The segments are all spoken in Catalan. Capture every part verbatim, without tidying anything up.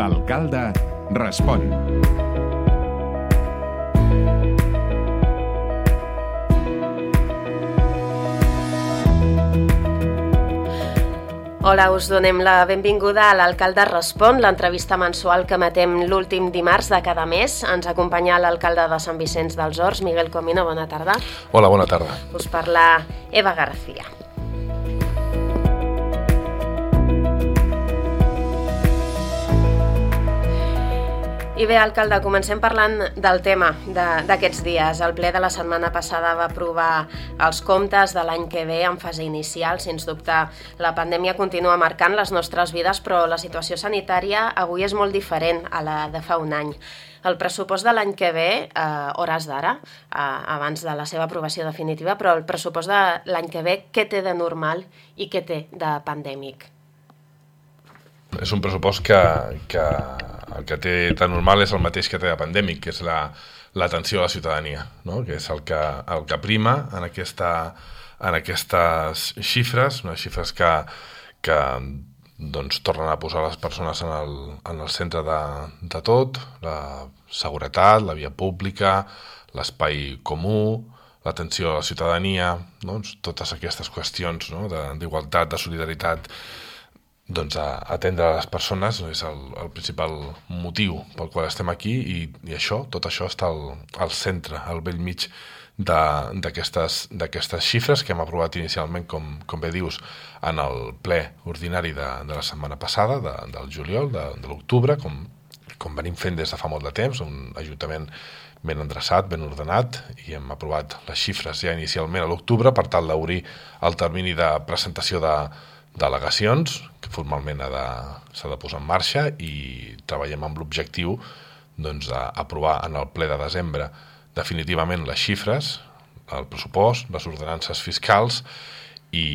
L'alcalde respon. Hola, us donem la benvinguda a l'Alcalde Respon, l'entrevista mensual que emetem l'últim dimarts de cada mes. Ens acompanya l'alcalde de Sant Vicenç dels Horts, Miguel Comino. Bona tarda. Hola, bona tarda. Us parla Eva García. I bé, alcalde, comencem parlant del tema d'aquests dies. El ple de la setmana passada va aprovar els comptes de l'any que ve en fase inicial. Sens dubte, la pandèmia continua marcant les nostres vides, però la situació sanitària avui és molt diferent a la de fa un any. El pressupost de l'any que ve, a hores d'ara, abans de la seva aprovació definitiva, però el pressupost de l'any que ve, què té de normal i què té de pandèmic? És un pressupost que, que el que té de normal és el mateix que té de pandèmic, que és l'atenció a la ciutadania, no? Que és el que, el que prima en, aquesta, en aquestes xifres, unes xifres que, que doncs, tornen a posar les persones en el, en el centre de, de tot, la seguretat, la via pública, l'espai comú, l'atenció a la ciutadania, doncs, totes aquestes qüestions, no? d'igualtat, de solidaritat, doncs a atendre les persones és el, el principal motiu pel qual estem aquí i, i això, tot això està al, al centre, al bell mig d'aquestes d'aquestes xifres que hem aprovat inicialment, com, com bé dius, en el ple ordinari de, de la setmana passada, de, del juliol, de, de l'octubre, com, com venim fent des de fa molt de temps, un ajuntament ben endreçat, ben ordenat, i hem aprovat les xifres ja inicialment a l'octubre per tal d'obrir el termini de presentació de delegacions, que formalment s'ha de, de posar en marxa, i treballem amb l'objectiu doncs, d'aprovar en el ple de desembre definitivament les xifres, el pressupost, les ordenances fiscals, i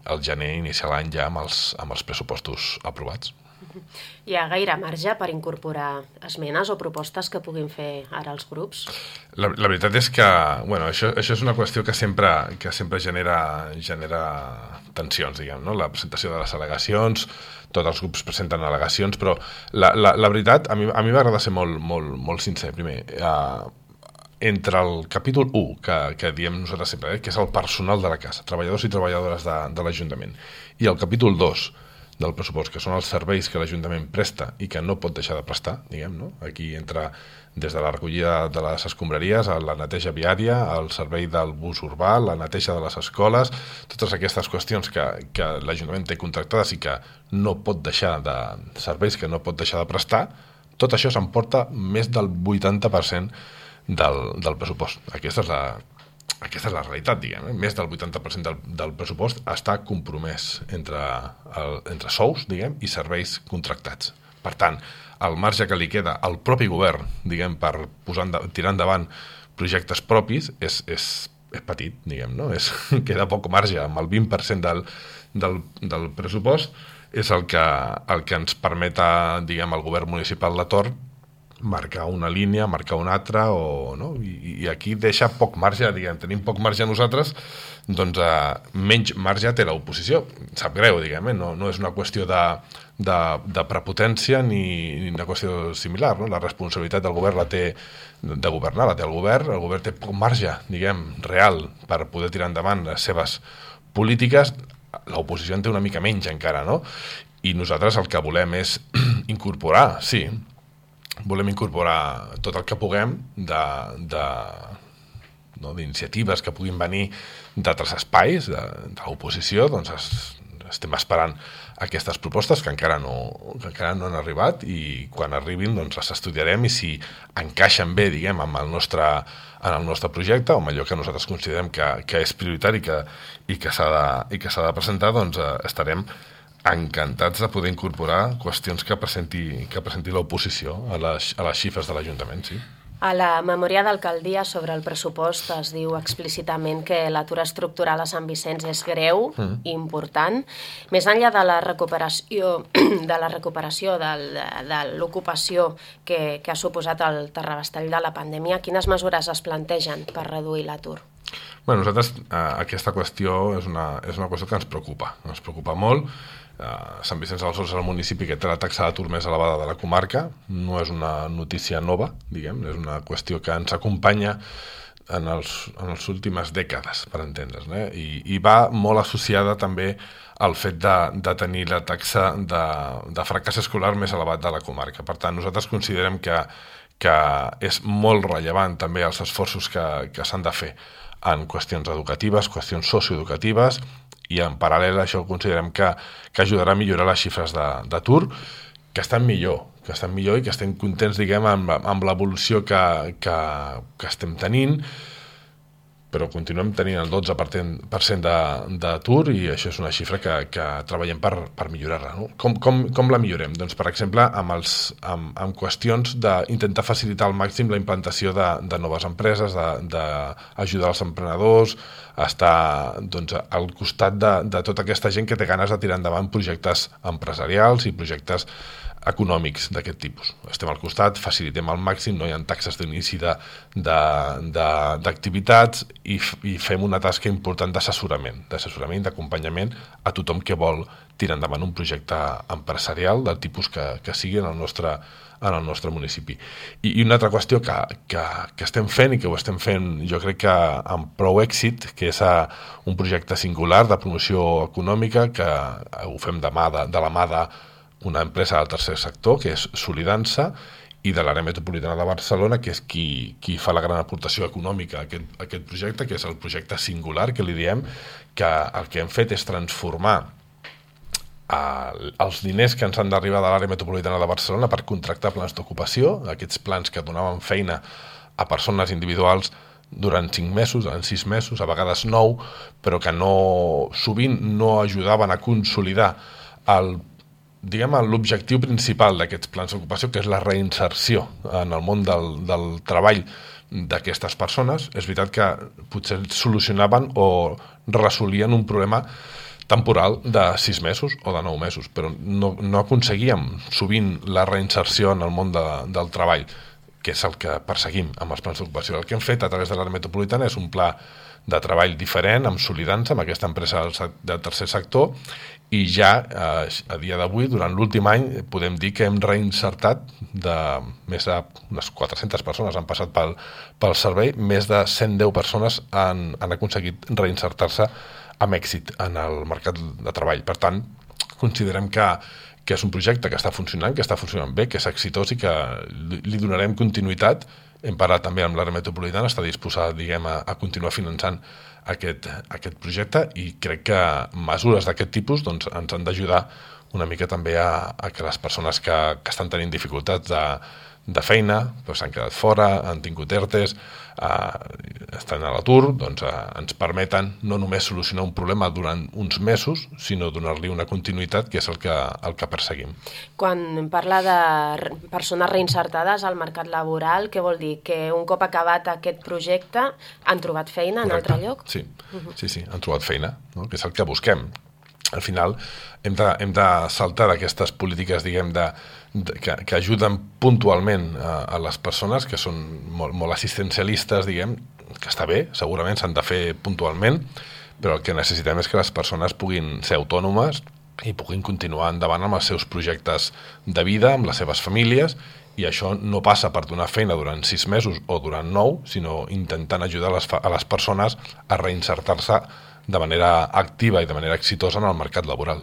el gener iniciar l'any ja amb els, amb els pressupostos aprovats. Hi ha gaire marge per incorporar esmenes o propostes que puguin fer ara els grups? La, la veritat és que bueno, això, això és una qüestió que sempre, que sempre genera, genera tensions, diguem, no? La presentació de les al·legacions, tots els grups presenten al·legacions, però la, la, la veritat, a mi, a mi m'agrada ser molt, molt, molt sincer. Primer, eh, entre el capítol u, que, que diem nosaltres sempre, eh, que és el personal de la casa, treballadors i treballadores de, de l'Ajuntament, i el capítol dos, del pressupost, que són els serveis que l'Ajuntament presta i que no pot deixar de prestar, diguem, no? Aquí entra des de la recollida de les escombraries, a la neteja viària, al servei del bus urbà, la neteja de les escoles, totes aquestes qüestions que, que l'Ajuntament té contractades i que no pot deixar de serveis que no pot deixar de prestar, tot això s'emporta més del vuitanta per cent del, del pressupost. Aquesta és la Aquesta és la realitat, diguem, eh? Més del vuitanta per cent del, del pressupost està compromès entre, el, entre sous, diguem, i serveis contractats. Per tant, el marge que li queda al propi govern, diguem, per posar enda, tirar endavant projectes propis és, és, és petit, diguem, no? És, queda poc marge, amb el vint per cent del, del, del pressupost és el que, el que ens permet, diguem, al govern municipal de torn marcar una línia, marcar una altra, o, no? I, i aquí deixa poc marge, diguem, tenim poc marge nosaltres, doncs eh, menys marge té l'oposició. Sap greu, diguem, eh? no, no és una qüestió de, de, de prepotència ni, ni una qüestió similar, no? La responsabilitat del govern la té, de governar, la té el govern, el govern té poc marge, diguem, real, per poder tirar endavant les seves polítiques, l'oposició en té una mica menys encara, no? I nosaltres el que volem és incorporar, sí, volem incorporar tot el que puguem de, de, no, d'iniciatives que puguin venir d'altres espais de, de l'oposició, doncs es, estem esperant aquestes propostes que encara no, que encara no han arribat, i quan arribin doncs les estudiarem, i si encaixen bé, diguem, amb el nostre, en el nostre projecte, o amb allò que nosaltres considerem que, que és prioritari que, i que s'ha de, i que s'ha de presentar, doncs eh, estarem encantats de poder incorporar qüestions que presenti, que presenti l'oposició a les, a les xifres de l'Ajuntament, sí. A la memòria d'alcaldia sobre el pressupost es diu explícitament que l'atur estructural a Sant Vicenç és greu mm. i important. Més enllà de la recuperació de la recuperació del, de l'ocupació que, que ha suposat el terrabastall de la pandèmia, quines mesures es plantegen per reduir l'atur? Bueno, nosaltres eh, aquesta qüestió és una, és una qüestió que ens preocupa, ens preocupa molt. Uh, Sant Vicenç dels Horts és el municipi que té la taxa d'atur més elevada de la comarca, no és una notícia nova, diguem, és una qüestió que ens acompanya en els, en les últimes dècades, per entendre's, eh? I, i va molt associada també al fet de, de tenir la taxa de, de fracàs escolar més elevat de la comarca. Per tant, nosaltres considerem que, que és molt rellevant també els esforços que, que s'han de fer en qüestions educatives, qüestions socioeducatives, i en paral·lel això considerem que, que ajudarà a millorar les xifres d'atur, que estan millor, que estan millor i que estem contents, diguem, amb, amb l'evolució que, que, que estem tenint, però continuem tenint el dotze per cent d'atur i això és una xifra que, que treballem per, per millorar-la. No? Com, com, com la millorem? Doncs, per exemple, amb, els, amb, amb qüestions d'intentar facilitar al màxim la implantació de, de noves empreses, d'ajudar els emprenedors, estar doncs, al costat de, de tota aquesta gent que té ganes de tirar endavant projectes empresarials i projectes econòmics d'aquest tipus. Estem al costat, facilitem al màxim, no hi ha taxes d'inici d'activitats i, i fem una tasca important d'assessorament, d'assessorament, d'acompanyament a tothom que vol tirar endavant un projecte empresarial del tipus que, que sigui en el nostre, en el nostre municipi. I, i una altra qüestió que, que, que estem fent i que ho estem fent jo crec que amb prou èxit, que és a, un projecte singular de promoció econòmica que ho fem de, mà de, de la mà de una empresa del tercer sector, que és Solidança, i de l'àrea metropolitana de Barcelona, que és qui, qui fa la gran aportació econòmica a aquest, a aquest projecte, que és el projecte singular, que li diem que el que hem fet és transformar eh, els diners que ens han d'arribar de l'àrea metropolitana de Barcelona per contractar plans d'ocupació, aquests plans que donaven feina a persones individuals durant cinc mesos, durant sis mesos, a vegades nou, però que no, sovint no ajudaven a consolidar el diguem, l'objectiu principal d'aquests plans d'ocupació, que és la reinserció en el món del, del treball d'aquestes persones. És veritat que potser solucionaven o resolien un problema temporal de sis mesos o de nou mesos, però no, no aconseguíem sovint la reinserció en el món de, del treball, que és el que perseguim amb els plans d'ocupació. El que hem fet a través de l'àrea metropolitana és un pla de treball diferent, amb Solidança, amb aquesta empresa del, del tercer sector, i ja eh, a dia d'avui, durant l'últim any, podem dir que hem reinsertat de més d'unes quatre-centes persones han passat pel, pel servei, més de cent deu persones han, han aconseguit reinsertar-se amb èxit en el mercat de treball. Per tant, considerem que, que és un projecte que està funcionant, que està funcionant bé, que és exitós i que li, li donarem continuïtat. Hem parlat també amb l'àrea metropolitana, està disposada, diguem, a, a continuar finançant aquest, aquest projecte i crec que mesures d'aquest tipus doncs, ens han d'ajudar una mica també a, a que les persones que, que estan tenint dificultats de, de feina, doncs s'han quedat fora, han tingut ERTEs, eh, estan a l'atur, doncs eh, ens permeten no només solucionar un problema durant uns mesos, sinó donar-li una continuïtat, que és el que, el que perseguim. Quan parla de persones reinsertades al mercat laboral, què vol dir? Que un cop acabat aquest projecte han trobat feina en Correcte. altre lloc? Sí, uh-huh. sí, sí, han trobat feina, no? Que és el que busquem. Al final hem de, hem de saltar d'aquestes polítiques, diguem, de, de, que, que ajuden puntualment a, a les persones, que són molt, molt assistencialistes, diguem, que està bé, segurament s'han de fer puntualment, però el que necessitem és que les persones puguin ser autònomes i puguin continuar endavant amb els seus projectes de vida, amb les seves famílies, i això no passa per donar feina durant sis mesos o durant nou, sinó intentant ajudar a les, a les persones a reinsertar-se de manera activa i de manera exitosa en el mercat laboral.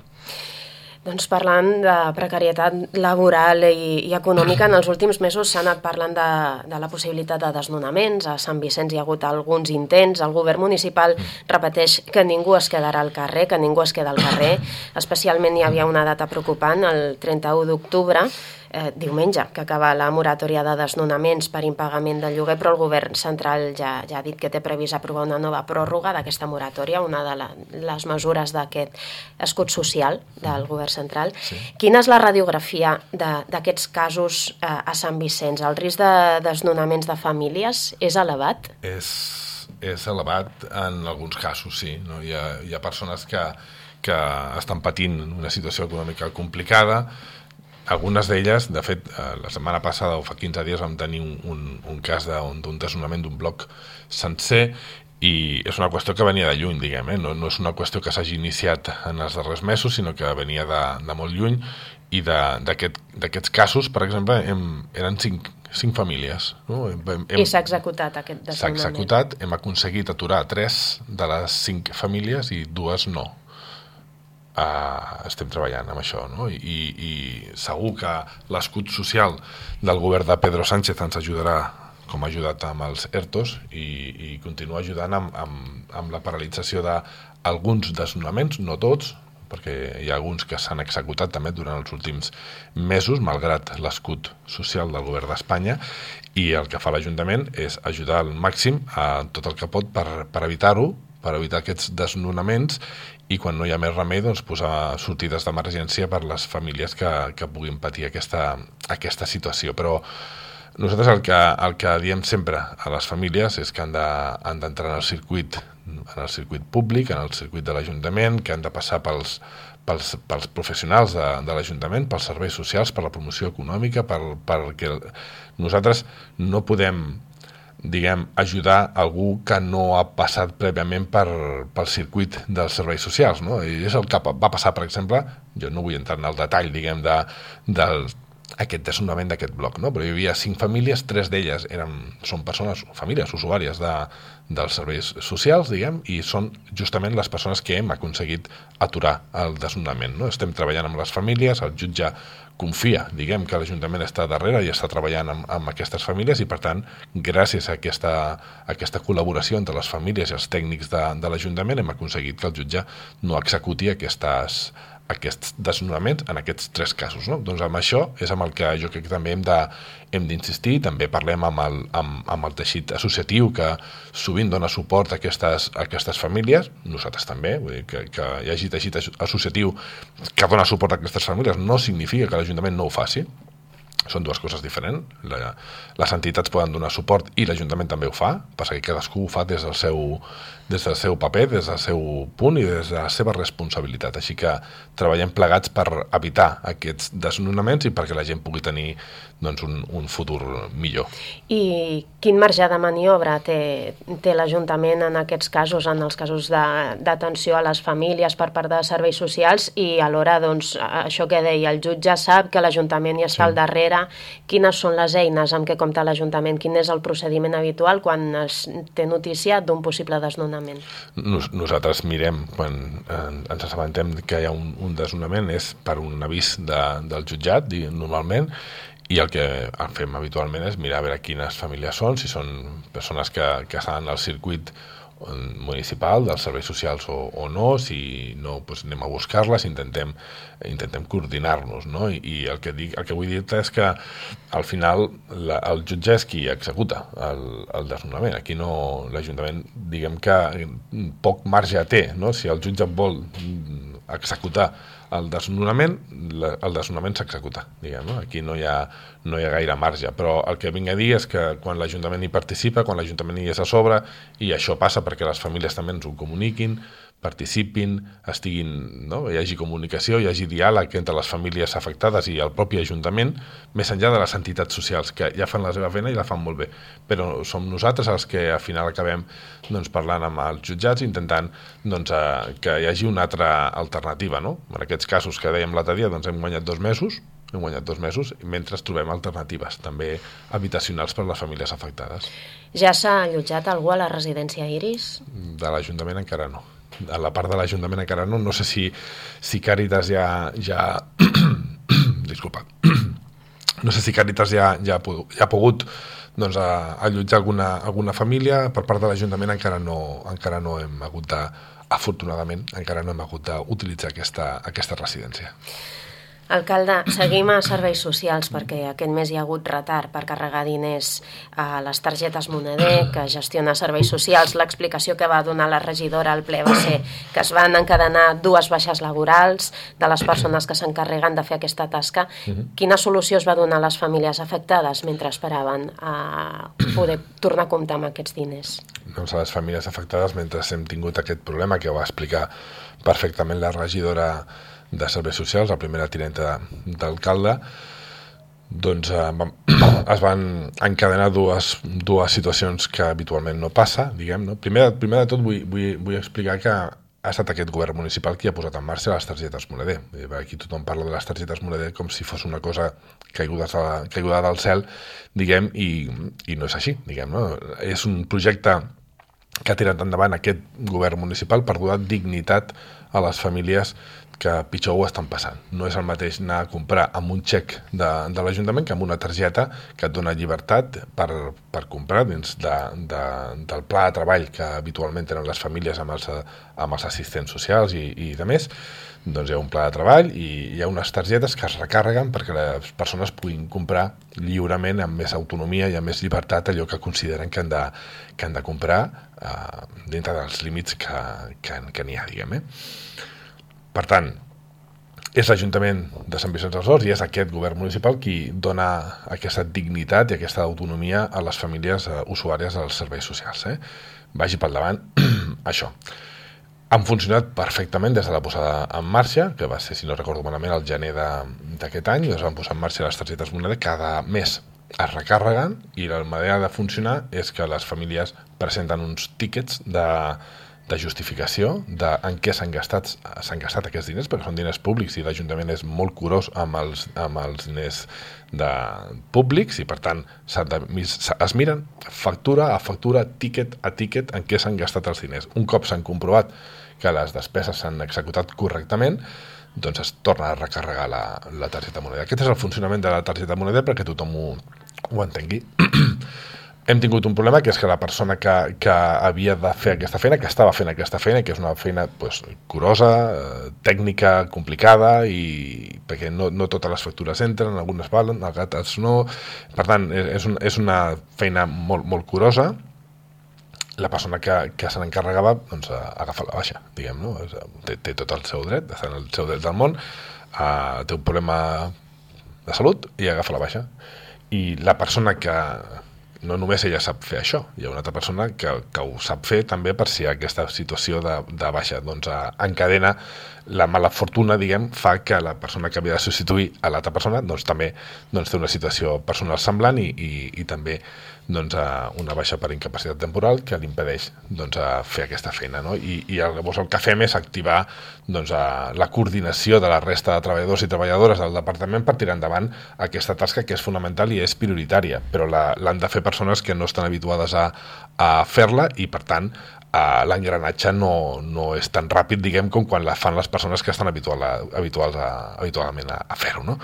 Doncs parlant de precarietat laboral i, i econòmica, en els últims mesos s'ha anat parlant de, de la possibilitat de desnonaments. A Sant Vicenç hi ha hagut alguns intents. El govern municipal repeteix que ningú es quedarà al carrer, que ningú es queda al carrer. Especialment hi havia una data preocupant, el trenta-u d'octubre, eh, diumenge, que acaba la moratòria de desnonaments per impagament del lloguer, però el govern central ja, ja ha dit que té previst aprovar una nova pròrroga d'aquesta moratòria, una de la, les mesures d'aquest escut social del govern central. Sí. Quina és la radiografia d'aquests casos eh, a Sant Vicenç? El risc de desnonaments de famílies és elevat? És, és elevat en alguns casos, sí. No? Hi ha, hi ha persones que, que estan patint una situació econòmica complicada. Algunes d'elles, de fet, la setmana passada o fa quinze dies vam tenir un, un, un cas d'un desnonament d'un bloc sencer i és una qüestió que venia de lluny, diguem, eh? no, no és una qüestió que s'hagi iniciat en els darrers mesos, sinó que venia de, de molt lluny, i d'aquests aquest, casos, per exemple, hem, eren cinc, cinc famílies. No? Hem, hem, I s'ha executat aquest desnonament. S'ha executat, hem aconseguit aturar tres de les cinc famílies i dues no. Uh, estem treballant amb això, no? I, i segur que l'escut social del govern de Pedro Sánchez ens ajudarà, com ha ajudat amb els ERTOs, i, i continua ajudant amb, amb, amb la paralització d'alguns desnonaments, no tots, perquè hi ha alguns que s'han executat també durant els últims mesos, malgrat l'escut social del govern d'Espanya, i el que fa l'Ajuntament és ajudar al màxim a tot el que pot per, per evitar-ho, per evitar aquests desnonaments, i quan no hi ha més remei, doncs, posar sortides d'emergència per les famílies que, que puguin patir aquesta, aquesta situació. Però nosaltres el que, el que diem sempre a les famílies és que han d'entrar de, en el circuit en el circuit públic, en el circuit de l'Ajuntament, que han de passar pels, pels, pels professionals de, de l'Ajuntament, pels serveis socials, per la promoció econòmica, per, perquè nosaltres no podem, diguem, ajudar algú que no ha passat prèviament per, pel circuit dels serveis socials, no? I és el que va passar, per exemple, jo no vull entrar en el detall, diguem, de, del aquest desnonament d'aquest bloc, no? Però hi havia cinc famílies, tres d'elles eren, són persones, famílies usuàries de, dels serveis socials, diguem, i són justament les persones que hem aconseguit aturar el desnonament, no? Estem treballant amb les famílies, el jutge confia, diguem, que l'Ajuntament està darrere i està treballant amb, amb aquestes famílies, i per tant, gràcies a aquesta, a aquesta col·laboració entre les famílies i els tècnics de, de l'Ajuntament, hem aconseguit que el jutge no executi aquestes aquests desnonaments en aquests tres casos, no? Doncs amb això és amb el que jo crec que també hem de, hem d'insistir, també parlem amb el, amb, amb el teixit associatiu que sovint dona suport a aquestes, a aquestes famílies, nosaltres també, vull dir que, que hi hagi teixit associatiu que dona suport a aquestes famílies no significa que l'Ajuntament no ho faci, són dues coses diferents. La, les entitats poden donar suport i l'Ajuntament també ho fa, perquè cadascú ho fa des del seu, des del seu paper, des del seu punt i des de la seva responsabilitat. Així que treballem plegats per evitar aquests desnonaments i perquè la gent pugui tenir, doncs, un, un futur millor. I quin marge de maniobra té, té l'Ajuntament en aquests casos, en els casos d'atenció a les famílies per part de serveis socials, i alhora, doncs, això que deia, el jutge sap que l'Ajuntament hi està sí. al darrere. Quines són les eines amb què compta l'Ajuntament? Quin és el procediment habitual quan es té notícia d'un possible desnonament? Nos, nosaltres mirem, quan ens assabentem que hi ha un, un desnonament, és per un avís de, del jutjat, normalment, i el que fem habitualment és mirar a veure quines famílies són, si són persones que, que estan al circuit municipal dels serveis socials o, o no, si no, doncs anem a buscar-les, intentem, intentem coordinar-nos, no? I, i el, que dic, el que vull dir-te és que al final la, el jutge és qui executa el, el desnonament. Aquí no, l'Ajuntament, diguem que poc marge té, no? Si el jutge vol executar el desnonament, el desnonament s'executa, diguem, no? Aquí no hi ha, no hi ha gaire marge, però el que vinc a dir és que quan l'Ajuntament hi participa, quan l'Ajuntament hi és a sobre, i això passa perquè les famílies també ens ho comuniquin, participin, estiguin, no? Hi hagi comunicació, hi hagi diàleg entre les famílies afectades i el propi Ajuntament, més enllà de les entitats socials, que ja fan la seva feina i la fan molt bé. Però som nosaltres els que al final acabem, doncs, parlant amb els jutjats, intentant, doncs, eh, que hi hagi una altra alternativa, no? En aquests casos que dèiem l'altre dia, doncs hem guanyat dos mesos, hem guanyat dos mesos, mentre trobem alternatives, també habitacionals per a les famílies afectades. Ja s'ha allotjat algú a la residència Iris? De l'Ajuntament encara no. A la part de l'Ajuntament encara no, no sé si, si Càritas ja... ja... Disculpa. No sé si Càritas ja, ja, ja ha pogut, doncs, a, allotjar alguna, alguna família. Per part de l'Ajuntament encara no, encara no hem hagut de, afortunadament, encara no hem hagut d'utilitzar aquesta, aquesta residència. Alcalde, seguim a serveis socials perquè aquest mes hi ha hagut retard per carregar diners a les targetes Moneder, que gestiona serveis socials. L'explicació que va donar la regidora al ple va ser que es van encadenar dues baixes laborals de les persones que s'encarreguen de fer aquesta tasca. Quina solució es va donar a les famílies afectades mentre esperaven a poder tornar a comptar amb aquests diners? Doncs a les famílies afectades, mentre hem tingut aquest problema que va explicar perfectament la regidora de Serveis Socials, la primera tinenta d'alcalde, doncs eh, vam, es van encadenar dues, dues situacions que habitualment no passa, diguem, no? Primer, primer de tot vull, vull, vull explicar que ha estat aquest govern municipal qui ha posat en marxa les targetes Moneder. Aquí tothom parla de les targetes Moneder com si fos una cosa caiguda, caiguda del cel, diguem, i, i no és així, diguem, no? És un projecte que ha tirat endavant aquest govern municipal per donar dignitat a les famílies que pitjor ho estan passant. No és el mateix anar a comprar amb un xec de, de l'Ajuntament que amb una targeta que et dona llibertat per, per comprar dins de, de, del pla de treball que habitualment tenen les famílies amb els, amb els assistents socials i, i de més. Doncs hi ha un pla de treball i hi ha unes targetes que es recarreguen perquè les persones puguin comprar lliurement amb més autonomia i amb més llibertat allò que consideren que han de, que han de comprar eh, dintre dels límits que, que, que n'hi ha, diguem, eh? Per tant, és l'Ajuntament de Sant Vicenç dels Horts i és aquest govern municipal qui dona aquesta dignitat i aquesta autonomia a les famílies eh, usuàries dels serveis socials. Eh? Vagi pel davant això. Han funcionat perfectament des de la posada en marxa, que va ser, si no recordo malament, el gener d'aquest any, es van posar en marxa les targetes Moneder, cada mes es recarreguen i la manera de funcionar és que les famílies presenten uns tíquets de... de justificació de en què s'han gastat, s'han gastat aquests diners, perquè són diners públics i l'Ajuntament és molt curós amb els, amb els diners de públics i per tant de, es miren factura a factura, tíquet a tíquet en què s'han gastat els diners. Un cop s'han comprovat que les despeses s'han executat correctament, doncs es torna a recarregar la, la targeta Moneder. Aquest és el funcionament de la targeta Moneder perquè tothom ho, ho entengui. Hem tingut un problema, que és que la persona que, que havia de fer aquesta feina, que estava fent aquesta feina, que és una feina pues, curosa, eh, tècnica, complicada, i perquè no, no totes les factures entren, algunes valen, altres no. Per tant, és, un, és una feina molt, molt curosa. La persona que, que se n'encarregava doncs, agafa la baixa, diguem, no? Té, té tot el seu dret, està en el seu dret del món, eh, té un problema de salut i agafa la baixa. I la persona que... no només ella sap fer això, hi ha una altra persona que, que ho sap fer també per si aquesta situació de, de baixa doncs, encadena la mala fortuna, diguem, fa que la persona que havia de substituir a l'altra persona doncs, també doncs, té una situació personal semblant i, i, i també doncs, una baixa per incapacitat temporal que li impedeix doncs, fer aquesta feina. No? I, i llavors el que fem és activar doncs, la coordinació de la resta de treballadors i treballadores del departament per tirar endavant aquesta tasca que és fonamental i és prioritària, però l'han de fer persones que no estan habituades a, a fer-la i per tant Uh, l'engranatge no, no és tan ràpid, diguem, com quan la fan les persones que estan habitual a, habituals a, habitualment a, a fer-ho, no?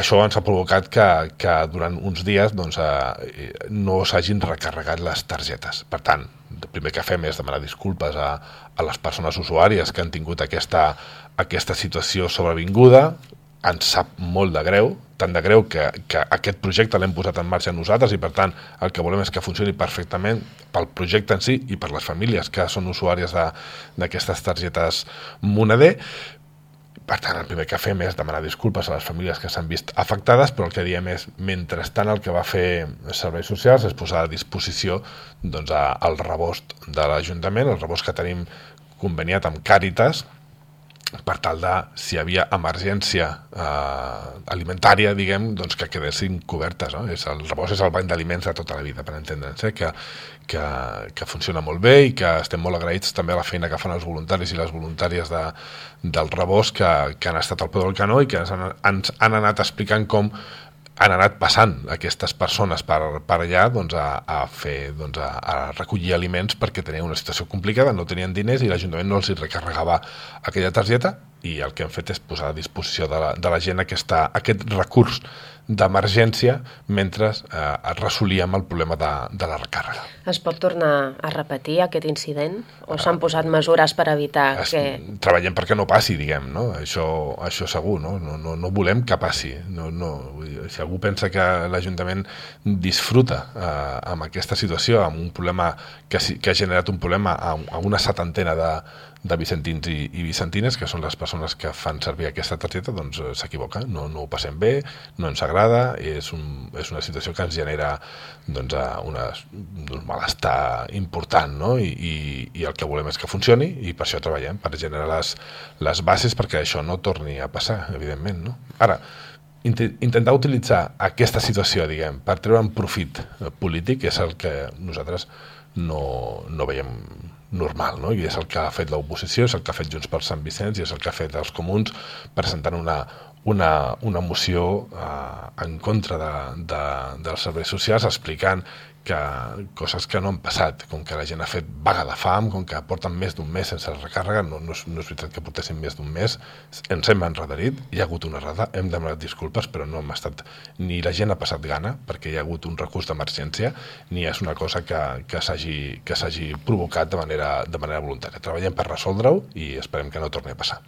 Això ens ha provocat que, que durant uns dies doncs, uh, no s'hagin recarregat les targetes. Per tant, el primer que fem és demanar disculpes a, a les persones usuàries que han tingut aquesta, aquesta situació sobrevinguda. Ens sap molt de greu, tant de greu que, que aquest projecte l'hem posat en marxa nosaltres i per tant el que volem és que funcioni perfectament pel projecte en si i per les famílies que són usuàries d'aquestes targetes Moneder. Per tant, el primer que fem és demanar disculpes a les famílies que s'han vist afectades, però el que diem és, mentrestant el que va fer Serveis Socials és posar a disposició doncs, el rebost de l'Ajuntament, el rebost que tenim conveniat amb Càritas, per tal de, si hi havia emergència eh, alimentària, diguem, doncs que quedessin cobertes. No? És el rebost és el banc d'aliments de tota la vida, per entendre'ns, eh? que, que, que funciona molt bé i que estem molt agraïts també a la feina que fan els voluntaris i les voluntàries de, del rebost que, que han estat al peu del canó i que ens han, ens han anat explicant com han anat passant aquestes persones per, per allà doncs, a, a, fer, doncs, a, a recollir aliments perquè tenien una situació complicada, no tenien diners i l'Ajuntament no els hi recarregava aquella targeta i el que hem fet és posar a disposició de la, de la gent aquesta, aquest recurs d'emergència mentre eh, resolíem el problema de, de la recàrrega. Es pot tornar a repetir aquest incident? O s'han posat mesures per evitar es, que... Treballem perquè no passi, diguem, no? Això, això segur, no? No, no, no volem que passi. No, no. Si algú pensa que l'Ajuntament disfruta eh, amb aquesta situació, amb un problema que, que ha generat un problema a, a una setantena de de vicentins i, i vicentines, que són les persones que fan servir aquesta targeta, doncs s'equivoca, no, no ho passem bé, no ens agrada, és, un, és una situació que ens genera doncs, una, un malestar important, no? I, i, i el que volem és que funcioni i per això treballem, per generar les, les bases perquè això no torni a passar, evidentment. No? Ara, intentar utilitzar aquesta situació, diguem, per treure'n profit polític és el que nosaltres no, no veiem normal, no? I és el que ha fet l'oposició, és el que ha fet Junts per Sant Vicenç i és el que ha fet els comuns presentant una, una, una moció eh, en contra de, de, dels serveis socials explicant que coses que no han passat, com que la gent ha fet vaga de fam, com que porten més d'un mes sense recàrrega, no, no, és, no és veritat que portessin més d'un mes, ens hem enredarit, hi ha hagut una errada, hem demanat disculpes, però no hem estat, ni la gent ha passat gana, perquè hi ha hagut un recurs d'emergència, ni és una cosa que, que s'hagi que s'hagi provocat de manera, de manera voluntària. Treballem per resoldre-ho i esperem que no torni a passar.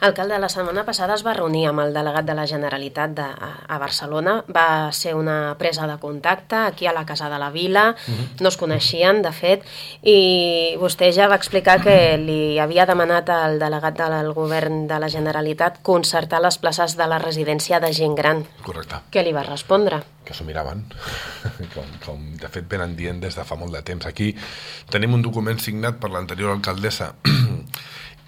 Alcalde, la setmana passada es va reunir amb el delegat de la Generalitat de, a, a Barcelona. Va ser una presa de contacte aquí a la Casa de la Vila. Uh-huh. No es coneixien, de fet, i vostè ja va explicar que li havia demanat al delegat del govern de la Generalitat concertar les places de la residència de gent gran. Correcte. Què li va respondre? Que s'ho miraven, com, com de fet venen dient des de fa molt de temps. Aquí tenim un document signat per l'anterior alcaldessa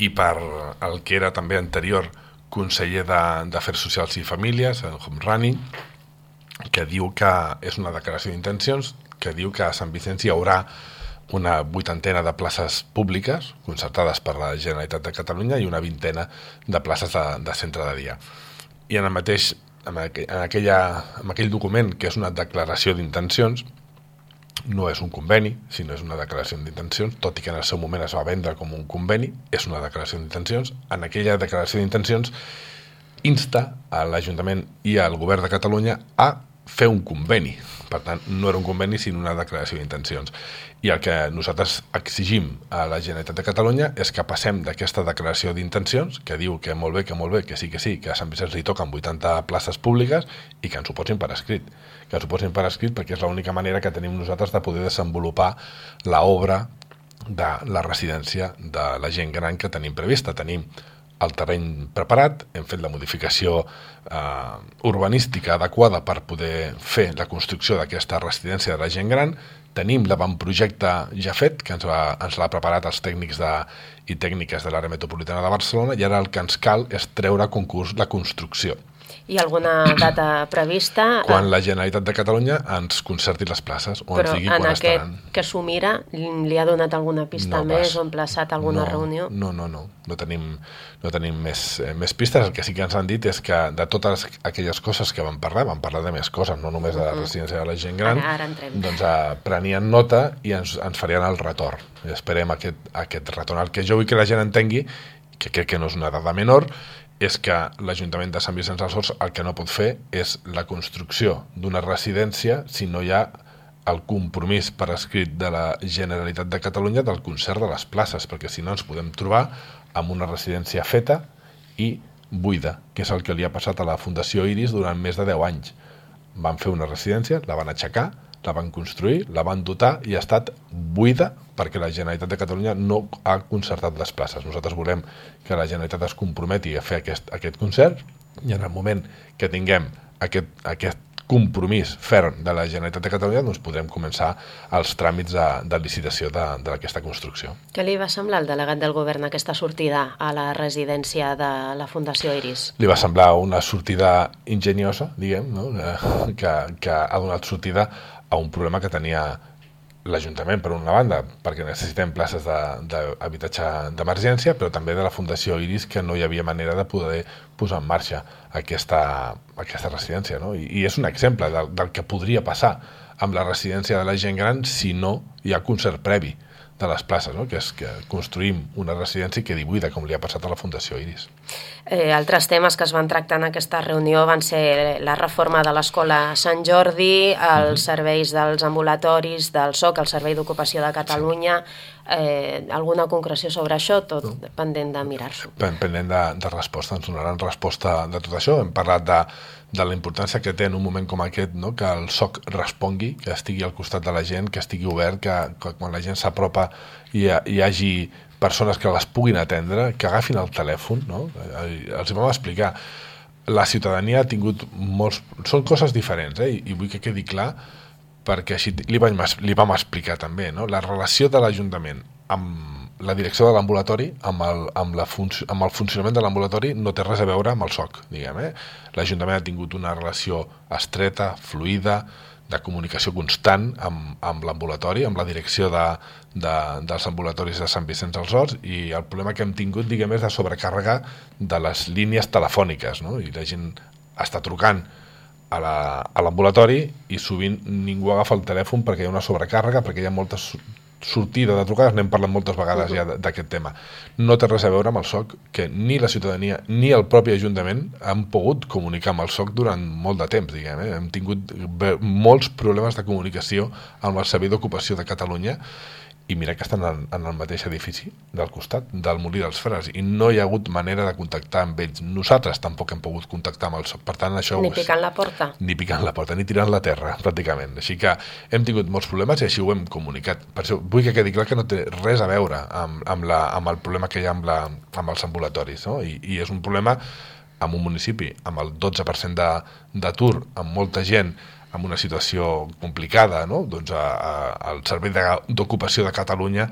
i per el que era també anterior conseller d'Afers Socials i Famílies, el Homrani, que diu que és una declaració d'intencions, que diu que a Sant Vicenç hi haurà una vuitantena de places públiques concertades per la Generalitat de Catalunya i una vintena de places de, de centre de dia. I en el mateix, en, aqu en, aquella, en aquell document, que és una declaració d'intencions, no és un conveni, sinó és una declaració d'intencions, tot i que en el seu moment es va vendre com un conveni, és una declaració d'intencions. En aquella declaració d'intencions insta a l'Ajuntament i al Govern de Catalunya a fer un conveni. Per tant, no era un conveni, sinó una declaració d'intencions. I el que nosaltres exigim a la Generalitat de Catalunya és que passem d'aquesta declaració d'intencions, que diu que molt bé, que molt bé, que sí, que sí, que a Sant Vicenç li toquen vuitanta places públiques i que ens ho posin per escrit. Que ens ho posin per escrit perquè és l'única manera que tenim nosaltres de poder desenvolupar l'obra de la residència de la gent gran que tenim prevista. Tenim el terreny preparat, hem fet la modificació eh, urbanística adequada per poder fer la construcció d'aquesta residència de la gent gran, tenim l'avantprojecte ja fet, que ens, va, ens l'ha preparat els tècnics de, i tècniques de l'àrea metropolitana de Barcelona, i ara el que ens cal és treure a concurs la construcció. Hi ha alguna data prevista? Quan la Generalitat de Catalunya ens concerti les places, o però ens digui quan quan aquest estaran. Que s'ho mira, li ha donat alguna pista No, més vas. o emplaçat alguna no, reunió? No, no, no. No tenim, no tenim més, eh, més pistes. El que sí que ens han dit és que de totes aquelles coses que vam parlar, vam parlar de més coses, no només de la residència de la gent gran, Ara, ara entrem. doncs eh, prenien nota i ens, ens farien el retorn. I esperem aquest, aquest retorn. El que jo vull que la gent entengui, que crec que no és una dada menor, és que l'Ajuntament de Sant Vicenç dels Horts el que no pot fer és la construcció d'una residència si no hi ha el compromís per escrit de la Generalitat de Catalunya del concert de les places, perquè si no ens podem trobar amb una residència feta i buida, que és el que li ha passat a la Fundació Iris durant més de deu anys. Van fer una residència, la van aixecar, la van construir, la van dotar i ha estat buida perquè la Generalitat de Catalunya no ha concertat les places. Nosaltres volem que la Generalitat es comprometi a fer aquest, aquest concert i en el moment que tinguem aquest, aquest compromís ferm de la Generalitat de Catalunya doncs podrem començar els tràmits de, de licitació d'aquesta construcció. Què li va semblar al delegat del govern aquesta sortida a la residència de la Fundació Iris? Li va semblar una sortida enginyosa, diguem, no? que, que ha donat sortida a un problema que tenia l'Ajuntament, per una banda, perquè necessitem places d'habitatge d'emergència, però també de la Fundació Iris, que no hi havia manera de poder posar en marxa aquesta, aquesta residència. No? I, I és un exemple del, del que podria passar amb la residència de la gent gran si no hi ha concert previ de les places, no? Que és que construïm una residència i quedi buida, com li ha passat a la Fundació Iris. Eh, altres temes que es van tractar en aquesta reunió van ser la reforma de l'Escola Sant Jordi, els uh-huh. serveis dels ambulatoris, del S O C, el Servei d'Ocupació de Catalunya. Sí. Eh, alguna concreció sobre això? Tot no. pendent de mirar-s'ho. Pendent de, de resposta, ens donaran resposta de tot això. Hem parlat de, de la importància que té en un moment com aquest, no? Que el S O C respongui, que estigui al costat de la gent, que estigui obert, que, que quan la gent s'apropa hi, hi hagi persones que les puguin atendre, que agafin el telèfon, no? Els hi vam explicar. La ciutadania ha tingut molts... Són coses diferents, eh? I, i vull que quedi clar, perquè així li vam, li vam explicar també, no? La relació de l'Ajuntament amb la direcció de l'ambulatori amb, el, amb, la func amb el funcionament de l'ambulatori no té res a veure amb el S O C, diguem, eh? L'Ajuntament ha tingut una relació estreta, fluida, de comunicació constant amb, amb l'ambulatori, amb la direcció de, de, dels ambulatoris de Sant Vicenç dels Horts, i el problema que hem tingut, diguem, és de sobrecàrrega de les línies telefòniques, no? I la gent està trucant a l'ambulatori i sovint ningú agafa el telèfon perquè hi ha una sobrecàrrega, perquè hi ha moltes sortida de trucades, n'hem parlat moltes vegades ja d'aquest tema. No té res a veure amb el S O C, que ni la ciutadania ni el propi Ajuntament han pogut comunicar amb el S O C durant molt de temps, diguem, eh? Hem tingut molts problemes de comunicació amb el Servei d'Ocupació de Catalunya, i mira que estan en, en el mateix edifici del costat, del Molí dels Frares, i no hi ha hagut manera de contactar amb ells. Nosaltres tampoc hem pogut contactar amb el S O C. Per tant, això ni picant la porta. Ni picant la porta, ni tirant la terra, pràcticament. Així que hem tingut molts problemes i així ho hem comunicat. Per això vull que quedi clar que no té res a veure amb, amb, la, amb el problema que hi ha amb, la, amb els ambulatoris, no? I, i és un problema amb un municipi amb el dotze per cent d'atur, amb molta gent, amb una situació complicada, no? Doncs a, a, el Servei d'Ocupació de Catalunya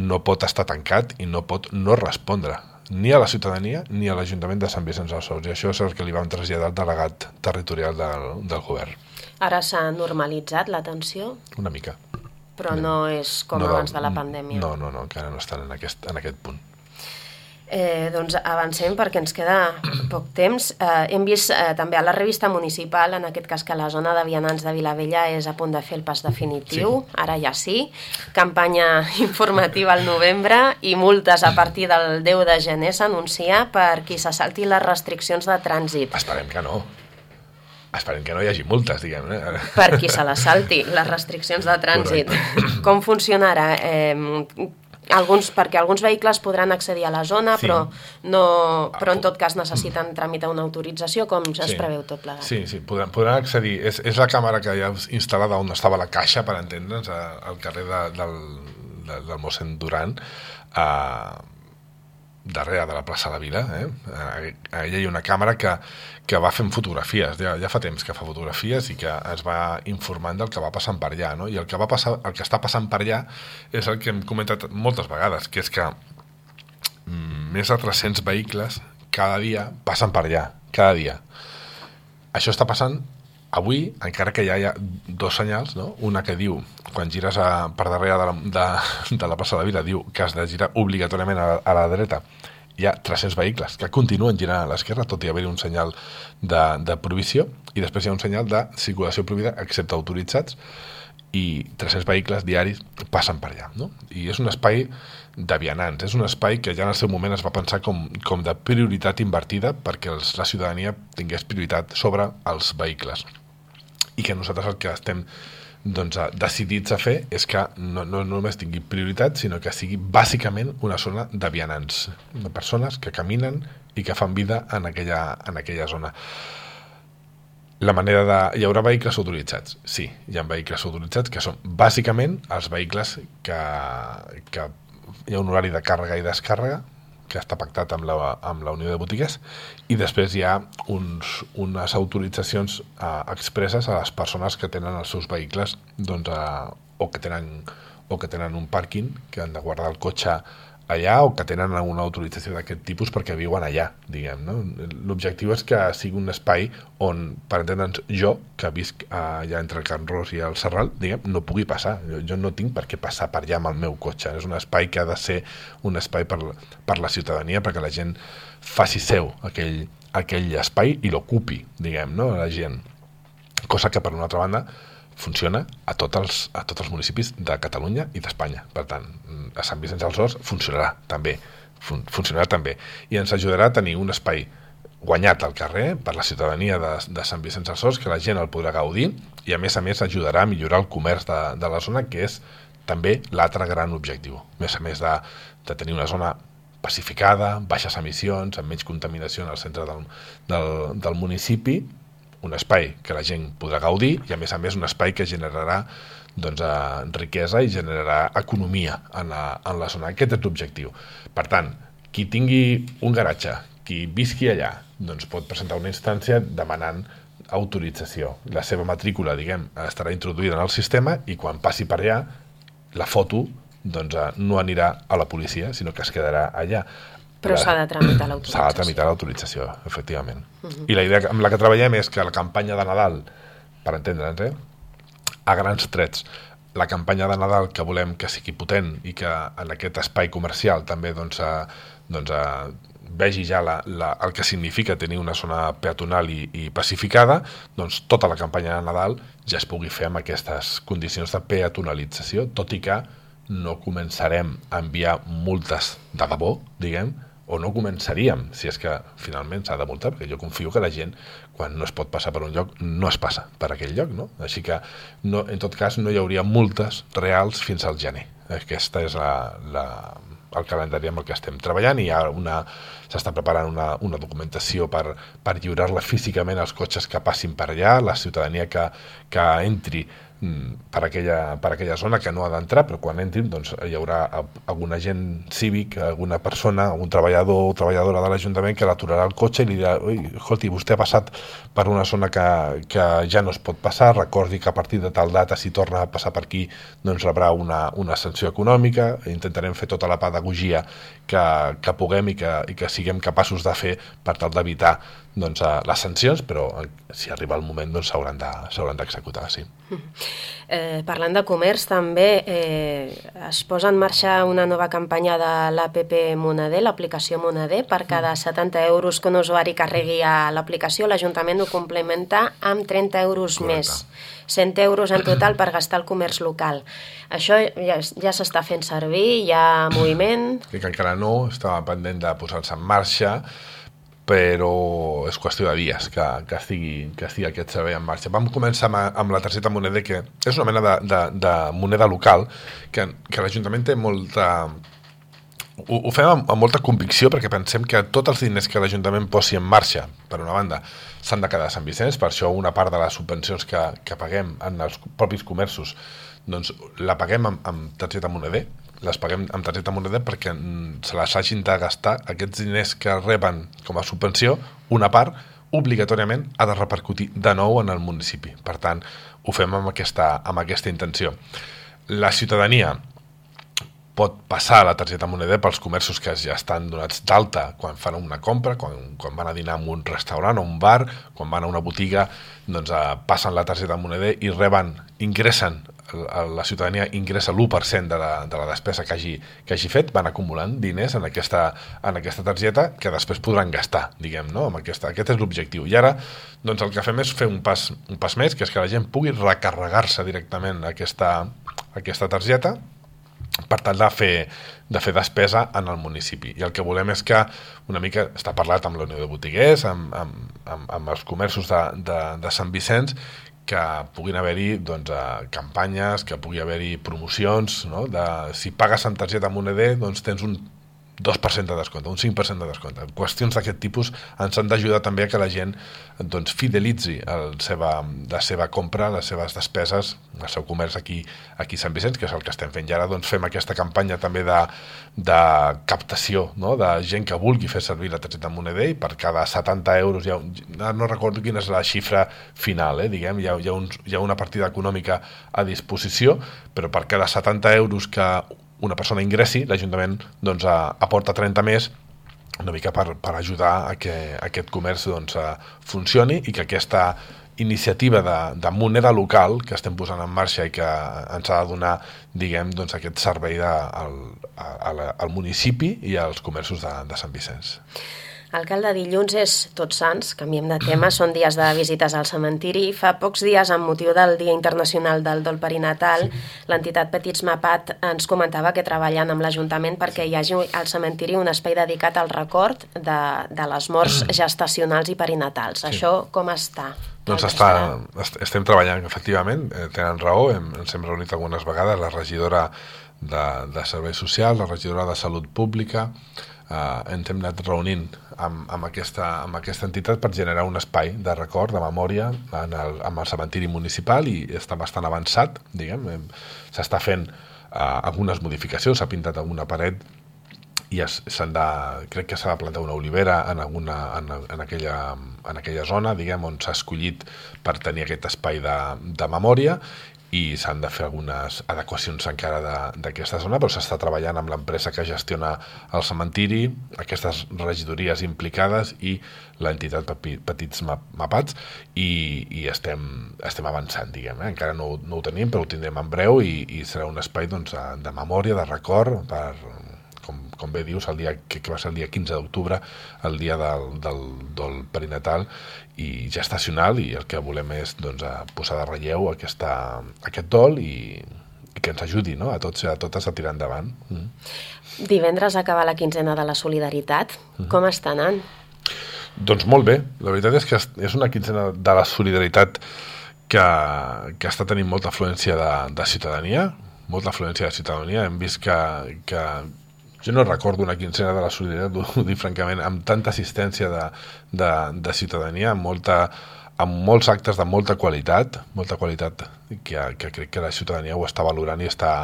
no pot estar tancat i no pot no respondre ni a la ciutadania ni a l'Ajuntament de Sant Vicenç dels Horts, i això és el que li vam traslladar al delegat territorial del, del govern. Ara s'ha normalitzat l'atenció? Una mica. Però no és com no, abans de la pandèmia? No, no, no, encara no estan en aquest, en aquest punt. Eh, doncs avancem perquè ens queda poc temps. Eh, hem vist eh, també a la revista municipal, en aquest cas, que la zona de vianants de Vilavella és a punt de fer el pas definitiu, sí. Ara ja sí, campanya informativa al novembre i multes a partir del deu de gener s'anuncia per qui se salti les restriccions de trànsit. Esperem que no. Esperem que no hi hagi multes, diguem. Eh? Per qui se les salti, les restriccions de trànsit. Correcte. Com funcionarà? Eh, Alguns, perquè alguns vehicles podran accedir a la zona, sí. però, no, però en tot cas necessiten tramitar una autorització, com ja es sí. preveu tot plegat. Sí, sí, podran, podran accedir. És, és la càmera que hi ha instal·lada on estava la caixa, per entendre'ns, al carrer de, del, de, del mossèn Duran, a, darrere de la plaça de la Vila. Eh? Allà hi ha una càmera que, que va fent fotografies, ja, ja fa temps que fa fotografies i que es va informant del que va passant per allà, no? I el que, va passar, el que està passant per allà és el que hem comentat moltes vegades, que és que mm, més de tres-cents vehicles cada dia passen per allà, cada dia. Això està passant avui, encara que ja hi ha dos senyals, no? Una que diu, quan gires a, per darrere de la, de, de la plaça de la Vila, diu que has de girar obligatòriament a, a la dreta. Hi ha tres-cents vehicles que continuen girant a l'esquerra, tot i haver-hi un senyal de, de prohibició, i després hi ha un senyal de circulació prohibida, excepte autoritzats, i tres-cents vehicles diaris passen per allà, no? I és un espai de vianants, és un espai que ja en el seu moment es va pensar com, com de prioritat invertida perquè els, la ciutadania tingués prioritat sobre els vehicles. I que nosaltres el que estem doncs, decidits a fer és que no, no només tingui prioritat, sinó que sigui bàsicament una zona de vianants, de persones que caminen i que fan vida en aquella, en aquella zona. La manera de... Hi haurà vehicles autoritzats? Sí, hi ha vehicles autoritzats que són bàsicament els vehicles que, que hi ha un horari de càrrega i descàrrega que està pactat amb la, amb la Unió de Botigues, i després hi ha uns, unes autoritzacions eh, expresses a les persones que tenen els seus vehicles doncs, eh, o, que tenen, o que tenen un pàrquing, que han de guardar el cotxe allà, o que tenen una autorització d'aquest tipus perquè viuen allà, diguem, no? L'objectiu és que sigui un espai on, per entendre'ns, jo, que visc allà entre el Can Ros i el Serral, diguem, no pugui passar. Jo, jo no tinc per què passar per allà amb el meu cotxe. És un espai que ha de ser un espai per, per la ciutadania, perquè la gent faci seu aquell, aquell espai i l'ocupi, diguem, no? La gent. Cosa que, per una altra banda, funciona a tots els, a tots els municipis de Catalunya i d'Espanya. Per tant, a Sant Vicenç dels Horts funcionarà també, fun, funcionarà també. I ens ajudarà a tenir un espai guanyat al carrer per la ciutadania de, de Sant Vicenç dels Horts, que la gent el podrà gaudir, i a més a més ajudarà a millorar el comerç de, de la zona, que és també l'altre gran objectiu. A més a més de, de tenir una zona pacificada, baixes emissions, amb menys contaminació en el centre del, del, del municipi, un espai que la gent podrà gaudir i a més a més un espai que generarà doncs, eh, riquesa i generarà economia en la, en la zona. Aquest és l'objectiu. Per tant, qui tingui un garatge, qui visqui allà, doncs pot presentar una instància demanant autorització. La seva matrícula, diguem, estarà introduïda en el sistema i quan passi per allà, la foto doncs, no anirà a la policia, sinó que es quedarà allà. Però s'ha de tramitar l'autorització. S'ha de tramitar l'autorització, efectivament. Uh-huh. I la idea amb la que treballem és que la campanya de Nadal, per entendre'ns, eh, a grans trets, la campanya de Nadal que volem que sigui potent i que en aquest espai comercial també doncs, eh, doncs, eh, vegi ja la, la, el que significa tenir una zona peatonal i, i pacificada, doncs tota la campanya de Nadal ja es pugui fer amb aquestes condicions de peatonalització, tot i que no començarem a enviar multes de debò, diguem, o no començaríem, si és que finalment s'ha de multar, perquè jo confio que la gent, quan no es pot passar per un lloc, no es passa per aquell lloc, no? Així que, no, en tot cas, no hi hauria multes reals fins al gener. Aquesta és la, la, el calendari amb el que estem treballant i hi ha una, s'està preparant una, una documentació per, per lliurar-la físicament als cotxes que passin per allà, la ciutadania que, que entri per aquella, per aquella zona que no ha d'entrar, però quan entrin doncs, hi haurà algun agent cívic, alguna persona, algun treballador o treballadora de l'Ajuntament que l'aturarà el cotxe i li dirà: ui, escolti, vostè ha passat per una zona que, que ja no es pot passar, recordi que a partir de tal data, si torna a passar per aquí, doncs rebrà una, una sanció econòmica. Intentarem fer tota la pedagogia que, que puguem i que, i que siguem capaços de fer per tal d'evitar doncs, les sancions, però si arriba el moment doncs, s'hauran de, s'hauran d'executar, sí. Eh, parlant de comerç, també eh, es posa en marxa una nova campanya de l'A P P Moneder, l'aplicació Moneder. Per cada setanta euros que un usuari carregui a l'aplicació, l'Ajuntament ho complementa amb trenta euros Correcte. Més. cent euros en total per gastar al comerç local. Això ja, ja s'està fent servir, hi ha moviment... Que encara no, estava pendent de posar-se en marxa, però és qüestió de dies que, que, estigui, que estigui aquest servei en marxa. Vam començar amb, amb la targeta Moneder, que és una mena de, de, de moneda local, que, que l'Ajuntament té molta... Ho, ho fem amb, amb molta convicció, perquè pensem que tots els diners que l'Ajuntament posi en marxa, per una banda, s'han de quedar a Sant Vicenç, per això una part de les subvencions que, que paguem en els propis comerços, doncs la paguem amb, amb targeta Moneder, les paguem amb targeta Moneder perquè se les hagin de gastar. Aquests diners que reben com a subvenció, una part, obligatòriament ha de repercutir de nou en el municipi. Per tant, ho fem amb aquesta, amb aquesta intenció. La ciutadania pot passar la targeta Moneder pels comerços que ja estan donats d'alta quan fan una compra, quan, quan van a dinar en un restaurant o un bar, quan van a una botiga, doncs eh, passen la targeta Moneder i reben, ingressen, la ciutadania ingressa l'u per cent de la, de la despesa que hagi, que hagi fet, van acumulant diners en aquesta, en aquesta targeta que després podran gastar, diguem, no? Amb aquesta, aquest és l'objectiu. I ara, doncs el que fem és fer un pas, un pas més, que és que la gent pugui recarregar-se directament aquesta, aquesta targeta per tal de fer, de fer despesa en el municipi. I el que volem és que una mica, està parlat amb la Unió de Botiguers, amb, amb, amb, amb els comerços de, de, de Sant Vicenç, que puguin haver-hi doncs, campanyes, que pugui haver-hi promocions, no? De, si pagues amb targeta Moneder, doncs tens un dos per cent de descompte, un cinc per cent de descompte. Qüestions d'aquest tipus ens han d'ajudar també a que la gent doncs, fidelitzi el seva, la seva compra, les seves despeses, el seu comerç aquí, aquí a Sant Vicenç, que és el que estem fent. I ara doncs, fem aquesta campanya també de, de captació, no? De gent que vulgui fer servir la targeta Moneder, i per cada setanta euros, hi ha, no recordo quina és la xifra final, eh? Diguem, hi ha, hi ha, uns, hi ha una partida econòmica a disposició, però per cada setanta euros que una persona ingressi, l'Ajuntament doncs, aporta trenta més, una mica per, per ajudar a que aquest comerç doncs, funcioni i que aquesta iniciativa de, de moneda local que estem posant en marxa i que ens ha de donar, diguem, doncs, aquest servei de, al, al, al municipi i als comerços de, de Sant Vicenç. Alcalde, dilluns és Tots Sants, canviem de tema, són dies de visites al cementiri. Fa pocs dies, amb motiu del Dia Internacional del Dol Perinatal, sí. l'entitat Petits Mapat ens comentava que treballen amb l'Ajuntament perquè hi hagi al cementiri un espai dedicat al record de, de les morts gestacionals i perinatals. Sí. Això com està? Doncs està, estem treballant, efectivament, eh, tenen raó, hem, ens hem reunit algunes vegades, la regidora de, de Serveis Socials, la regidora de Salut Pública, eh, ens hem anat reunint amb, amb, aquesta, amb aquesta entitat per generar un espai de record, de memòria en el, amb el cementiri municipal, i està bastant avançat, diguem, s'està fent eh, algunes modificacions, s'ha pintat alguna paret i es, de, crec que s'ha de plantar una olivera en, alguna, en, en, aquella, en aquella zona, diguem, on s'ha escollit per tenir aquest espai de, de memòria, i s'han de fer algunes adequacions encara d'aquesta zona, però s'està treballant amb l'empresa que gestiona el cementiri, aquestes regidories implicades i l'entitat Petits Mapats, i, i estem, estem avançant, diguem. Eh? Encara no, no ho tenim, però ho tindrem en breu i, i serà un espai doncs, de memòria, de record, per, com, com bé dius, el dia, que, que va ser el dia quinze d'octubre, el dia del, del, del perinatal i gestacional, i el que volem és doncs, posar de relleu aquesta, aquest dol i, i que ens ajudi, no? a tots i a totes a tirar endavant. Mm. Divendres acaba la quinzena de la solidaritat. Mm. Com està anant? Doncs molt bé. La veritat és que és una quinzena de la solidaritat que, que està tenint molta afluència de, de ciutadania, molta afluència de ciutadania. Hem vist que, que jo no recordo una quinzena de la solidaritat, ho dic francament, amb tanta assistència de, de, de ciutadania, amb, molta, amb molts actes de molta qualitat, molta qualitat que, que crec que la ciutadania ho està valorant i està,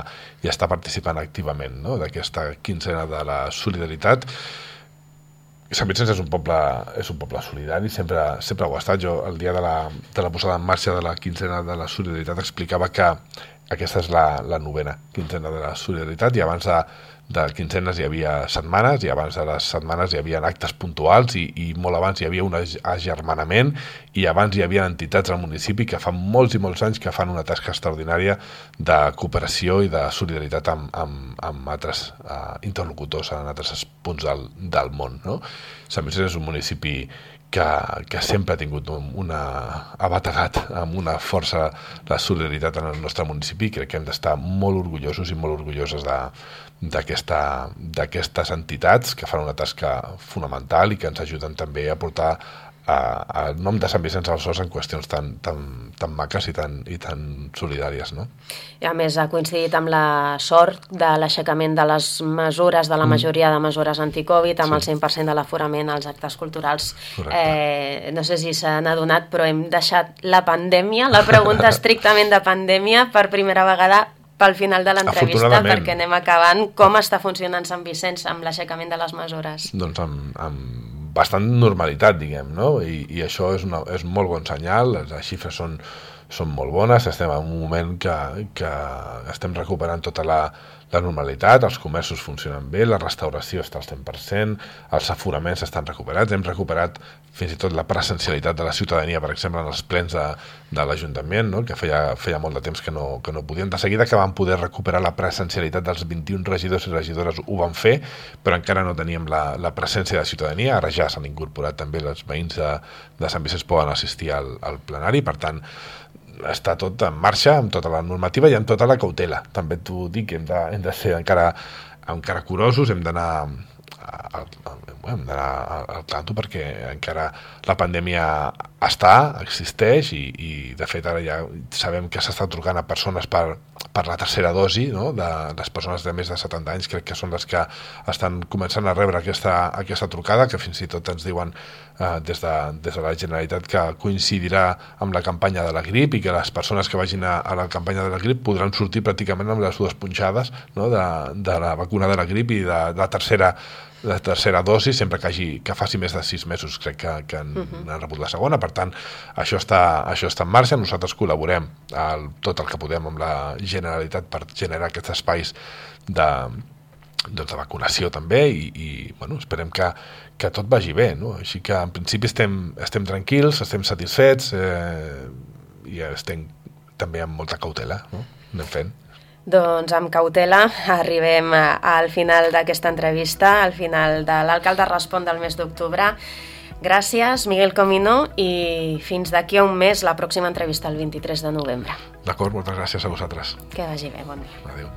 i està participant activament, no? d'aquesta quinzena de la solidaritat. Sant Vicenç és un poble, és un poble solidari, sempre, sempre ho ha estat. Jo el dia de la, de la posada en marxa de la quinzena de la solidaritat explicava que aquesta és la, la novena quinzena de la solidaritat, i abans de, de quinzenes hi havia setmanes, i abans de les setmanes hi havia actes puntuals, i, i molt abans hi havia un agermanament, i abans hi havia entitats al municipi que fa molts i molts anys que fan una tasca extraordinària de cooperació i de solidaritat amb, amb, amb altres uh, interlocutors en altres punts del, del món. No? Sant Vicenç és un municipi que, que sempre ha tingut una abategat amb una força de solidaritat en el nostre municipi, i crec que hem d'estar molt orgullosos i molt orgulloses de d'aquestes entitats que fan una tasca fonamental i que ens ajuden també a portar el nom de Sant Vicenç als Horts en qüestions tan, tan, tan maques i tan, i tan solidàries, no? I a més ha coincidit amb la sort de l'aixecament de les mesures, de la majoria de mesures anticovid, amb sí. el cent per cent de l'aforament als actes culturals. Eh, no sé si s'han adonat, però hem deixat la pandèmia, la pregunta estrictament de pandèmia, per primera vegada pel final de l'entrevista, perquè anem acabant. Com està funcionant Sant Vicenç amb l'aixecament de les mesures? Doncs amb, amb bastant normalitat, diguem, no? I, i això és, una, és molt bon senyal, les xifres són, són molt bones, estem en un moment que, que estem recuperant tota la, la normalitat, els comerços funcionen bé, la restauració està al cent per cent, els aforaments estan recuperats, hem recuperat fins i tot la presencialitat de la ciutadania, per exemple, en els plens de, de l'Ajuntament, no? que feia, feia molt de temps que no, que no podien. De seguida que vam poder recuperar la presencialitat dels vint-i-un regidors i regidores ho van fer, però encara no teníem la, la presència de ciutadania. Ara ja s'han incorporat també, els veïns de, de Sant Vicenç poden assistir al, al plenari, per tant, està tot en marxa, amb tota la normativa i amb tota la cautela. També t'ho dic, hem de, hem de ser encara, encara curosos, hem d'anar al, hem d'anar al tanto, perquè encara la pandèmia està, existeix, i, i de fet ara ja sabem que s'està trucant a persones per, per la tercera dosi, no? De les persones de més de setanta anys, crec que són les que estan començant a rebre aquesta, aquesta trucada, que fins i tot ens diuen eh, des, de, des de la Generalitat que coincidirà amb la campanya de la grip, i que les persones que vagin a, a la campanya de la grip podran sortir pràcticament amb les dues punxades, no? de, de la vacuna de la grip i de, de la tercera la tercera dosi, sempre que, hagi, que faci més de sis mesos, crec que, que han, uh-huh. han rebut la segona. Per tant, això està, això està en marxa. Nosaltres col·laborem el, tot el que podem amb la Generalitat per generar aquests espais de, doncs, de vacunació també, i, i bueno, esperem que, que tot vagi bé, no? Així que en principi estem, estem tranquils, estem satisfets, eh, i estem també amb molta cautela, no? Anem fent. Doncs amb cautela arribem al final d'aquesta entrevista, al final de l'Alcalde Respon del mes d'octubre. Gràcies, Miguel Comino, i fins d'aquí a un mes la pròxima entrevista el vint-i-tres de novembre. D'acord, moltes gràcies a vosaltres. Que vagi bé, bon dia. Adéu.